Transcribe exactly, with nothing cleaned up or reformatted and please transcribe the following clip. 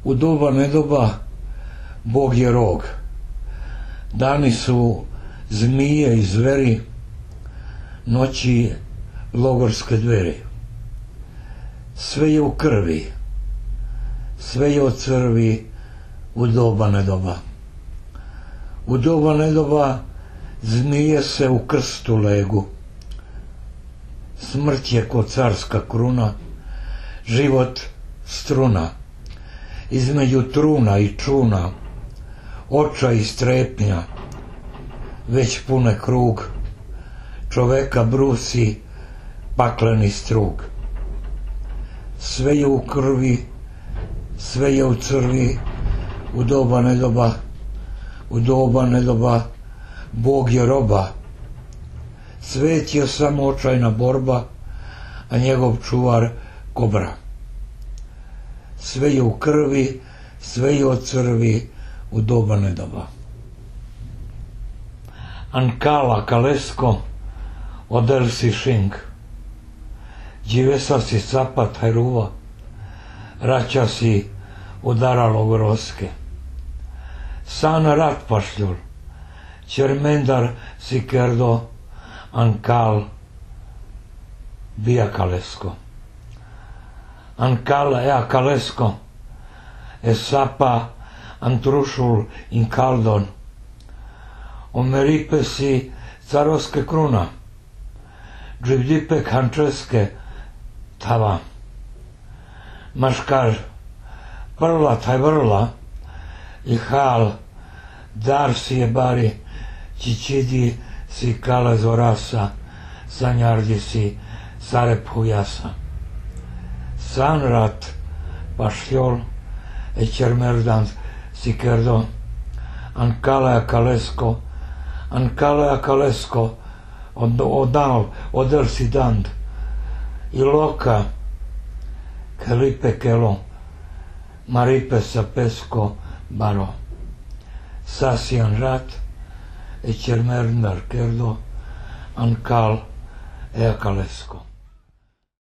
U doba nedoba Bog je rog. Dani su zmije i zveri, noći logorske dveri. Sve je u krvi, sve je od crvi u doba nedoba. U doba nedoba zmije se u krstu legu. Smrt je ko carska kruna, život struna. Između truna i čuna, oča i strepnja, već pune krug, čoveka brusi pakleni strug. Sve je u krvi, sve je u crvi, u doba nedoba, u doba nedoba, Bog je roba. Svet je samo očajna borba, a njegov čuvar kobra. Sve je u krvi, sve je od crvi, u doba nedoba. Ancala Kalesko, odel si šing, dživesa si capat hajruva, raća si udaralo groske. San rat pašljul, čermendar si kerdo, Ankal bija Kalesko. Ankal ea Kalesko, e sapa antrušul in kaldon, omeripe si carovske kruna, dživdipe kančeske tava. Maškar prla taj vrla, i hal dar si je bari, čičidi si kale zorasa, sanjardi si sarep hujasa. San rat pašljol, e čermerdant si kerdo, Ankalea Kalesko, Ankalea Kalesko, odal, odel si dand, i loka, kelipe kelo, maripe sa pesko baro. Sasian rat, e čermerdar kerdo, Ankal ea Kalesko.